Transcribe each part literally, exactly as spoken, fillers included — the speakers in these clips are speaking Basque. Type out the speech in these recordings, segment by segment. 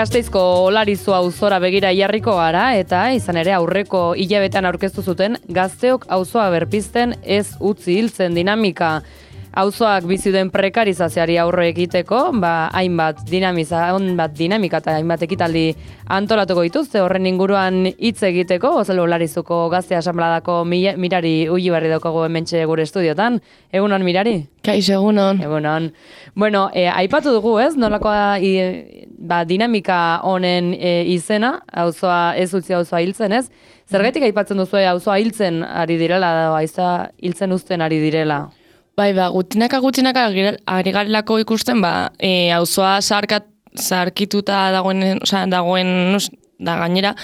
Gasteizko Olarizu auzora begira jarriko gara eta izan ere aurreko hilabetean aurkeztu zuten Gazteok auzoa berpizten ez utzi hiltzen dinamika. Auzoak bizi den prekarizazioari aurre egiteko, ba hainbat dinamiza, hainbat dinamika eta hainbat ekitaldi antolatuko dituzte horren inguruan hitz egiteko, Ozelo Olarizuko Gazte Asanbladako Mirari Ullibarri daukagu hementxe gure estudiotan. Egunon Mirari? Kaixo, egunon. Egunon. Bueno, eh, aipatu dugu, ez? Nolakoa i, ba, dinamika honen e, izena, auzoa ez utzi auzoa hiltzen, ez? Zergatik aipatzen duzu auzoa hiltzen ari direla, auzoa hiltzen uzten ari direla? Bai, ba, gutinaka gutinaka ari garelako ikusten, ba, e, auzoa zaharkat, zaharkituta dagoen, osea, dagoen, da gainera,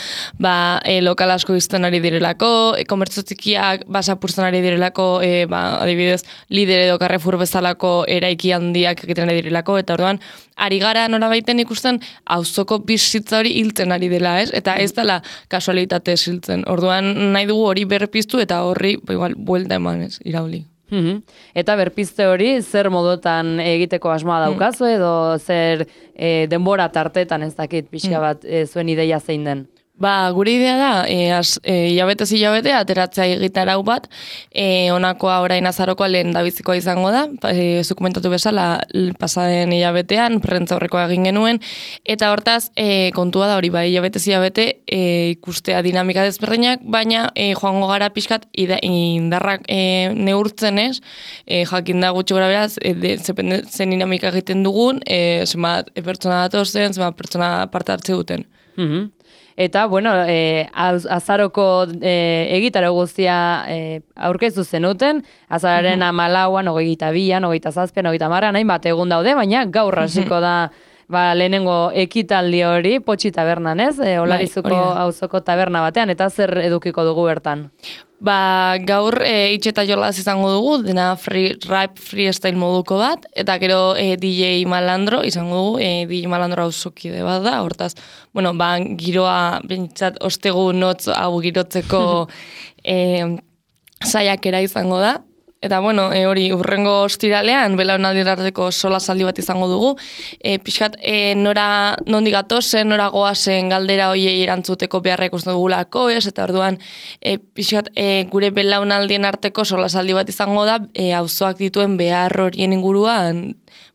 ba, e, lokal asko izten ari direlako, e, komertzo txikiak basapurtzen ari direlako, e, ba, adibidez, Lidl edo Carrefour bezalako eraiki handiak egiten ari direlako, eta orduan, ari gara norabaiten ikusten auzoko bizitza hori hiltzen ari dela, ez? Eta ez dela kasualitatez hiltzen. Orduan, nahi dugu hori berpiztu eta horri, ba, igual, buelta eman, ez, irauli. Mm-hmm. Eta berpizte hori zer modotan egiteko asmoa daukazu edo zer e, denbora tartetan ez dakit pixka bat e, zuen ideia zein den? Ba, gure idea da, e, az, e, hilabetez hilabete, ateratzea egitarau bat, e, honakoa orain azarokoa lehen dabizikoa izango da, e, zuk komentatu bezala, pasaden hilabetean, prentza horrekoa egin genuen, eta hortaz, e, kontua da hori, ba, hilabetez hilabete, e, ikustea dinamika desberdinak, baina e, joango gara pixkat ida, indarrak e, neurtzen ez, e, jakin da gutxi gara beraz, e, de, zen dinamika egiten dugun, e, zenbat e, pertsona datozen, zenbat pertsona parte hartze duten. Mm-hmm. Eta, bueno, e, az, azaroko e, egitaro guztia e, aurkeztu zenuten, azararen uh-huh. amalauan, hogeita bian, hogeita zazpian, hogeita marran, hainbat egun daude, baina gaur hasiko da ba, lehenengo ekitaldi hori, Potxi tabernan, ez? E, Olarizuko auzoko taberna batean, eta zer edukiko dugu bertan? Ba, gaur e, itxe eta jolaz izango dugu, dena free, rap freestyle moduko bat, eta gero e, D J Malandro izango dugu, e, D J Malandro auzokide bat da, hortaz, bueno, ba, giroa, bentsat, ostegu notz hau girotzeko e, saiakera izango da. Eta, bueno, e, hori, urrengo ostiralean, belaunaldirarteko sola saldi bat izango dugu. E, pixkat, e, nora nondik gatozen, nora goazen galdera hoiei erantzuteko beharra ikusten dugulako, ez? Eta orduan, e, pixkat, e, gure belaunaldien arteko sola saldi bat izango da, e, auzoak dituen behar horien inguruan,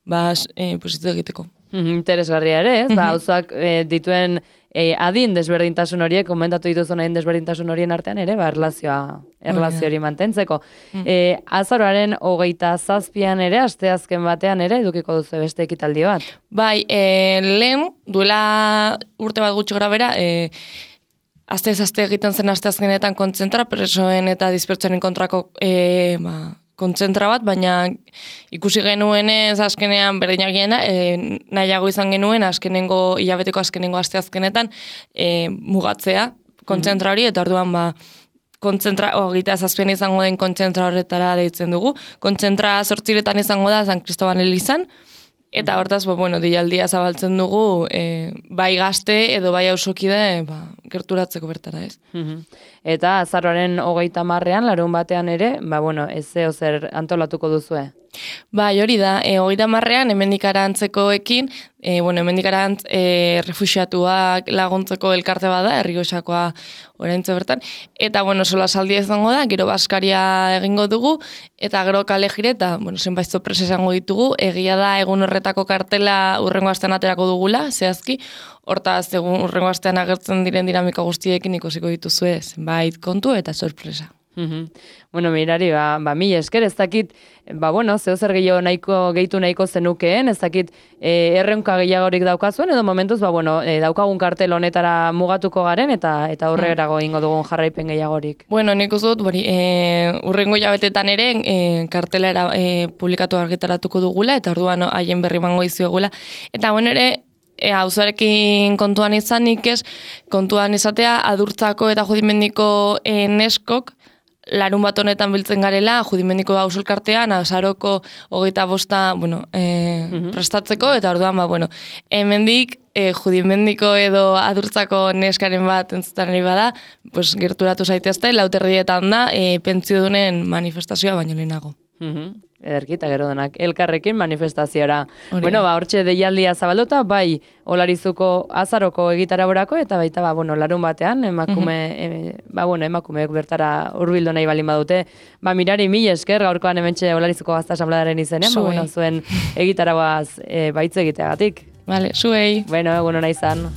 ba, e, positzu egiteko. Interesgarria ere, ez? Mm-hmm. Ba, auzoak e, dituen e, adin desberdintasun horiek, komentatu dituzun adin desberdintasun horien artean ere, ba, erlazioa, erlazio hori mantentzeko. Mm. E, azaroaren hogeita zazpian ere, asteazken batean ere, edukiko duzu beste ekitaldi bat. Bai, e, lehen, duela urte bat gutxi grabera, e, azte ez azte egiten zen asteazkenetan kontzentra, presoen eta dispertsoen kontrako e, ba, kontzentra bat, baina ikusi genuen ez azkenean berdinak gena, e, nahiago izan genuen azkenengo, hilabeteko azkenengo asteazkenetan e, mugatzea kontzentra hori, eta orduan ba, kontzentra, hogeita zazpian izango den kontzentra horretara deitzen dugu. Kontzentra zortziretan izango da San Cristoban elizan, eta hortaz, bo, bueno, dialdia zabaltzen dugu, e, bai gazte edo bai auzokide ba, gerturatzeko bertara, ez? Eta azaroaren hogeita marrean, larun batean ere, ba, bueno, ez zeo zer antolatuko duzue? Bai, hori da, e, hogeita marrean, hemendik arantzekoekin, e, bueno, hemendik arantz e, refuxiatuak laguntzeko elkarte bada, Errioxakoa oraintze bertan, eta, bueno, sola saldia izango da, gero baskaria egingo dugu, eta gero kale jire, eta, bueno, zenbait sorpresa izango ditugu, egia da egun horretako kartela urrengo astean aterako dugula, zehazki, hortaz, egun urrengo astean agertzen diren dinamika guztiekin ikusiko dituzue, zenbait kontu eta sorpresa. Mm-hmm. Bueno, Mirari, ba, ba mi esker, ez dakit, ba, bueno, zeo zer gehiago nahiko, gehitu nahiko zenukeen, ez dakit, e, erreunka gehiagorik daukazuen, edo momentuz, ba, bueno, e, daukagun kartel honetara mugatuko garen, eta eta aurrerago ingo dugun jarraipen gehiagorik. Bueno, nik uste dut, bori, e, urrengo jabetetan ere, e, kartelera e, publikatu argitaratuko dugula, eta orduan haien berri mango izuegula, eta bueno, ere, E, auzoarekin kontuan izanik ez, kontuan izatea adurtzako eta judimendiko e, neskok larun bat honetan biltzen garela, judimendiko ausolkartean, azaroko hogeita bosta, bueno, e, mm-hmm. prestatzeko, eta orduan, ba, bueno, hemendik e, judimendiko edo adurtzako neskaren bat entzutan ari bada, pues, gerturatu zaitezte, lauterrietan da, e, pentsiodunen manifestazioa baino lehenago. Mhm. Ederki, eta gero denak elkarrekin manifestaziora. Hori. Bueno, ba, hortxe deialdia zabalduta, bai, Olarizuko azaroko egitaraborako, eta baita, ba, bueno, larun batean, emakume, e, ba, bueno, emakumeek bertara hurbildu nahi balin badute. Ba, Mirari, mil esker, gaurkoan hementxe Olarizuko Gazta Asanbladaren izenean, ba, bueno, zuen egitaragoaz e, baitz egiteagatik. Vale, zuei. Bueno, egun hona izan.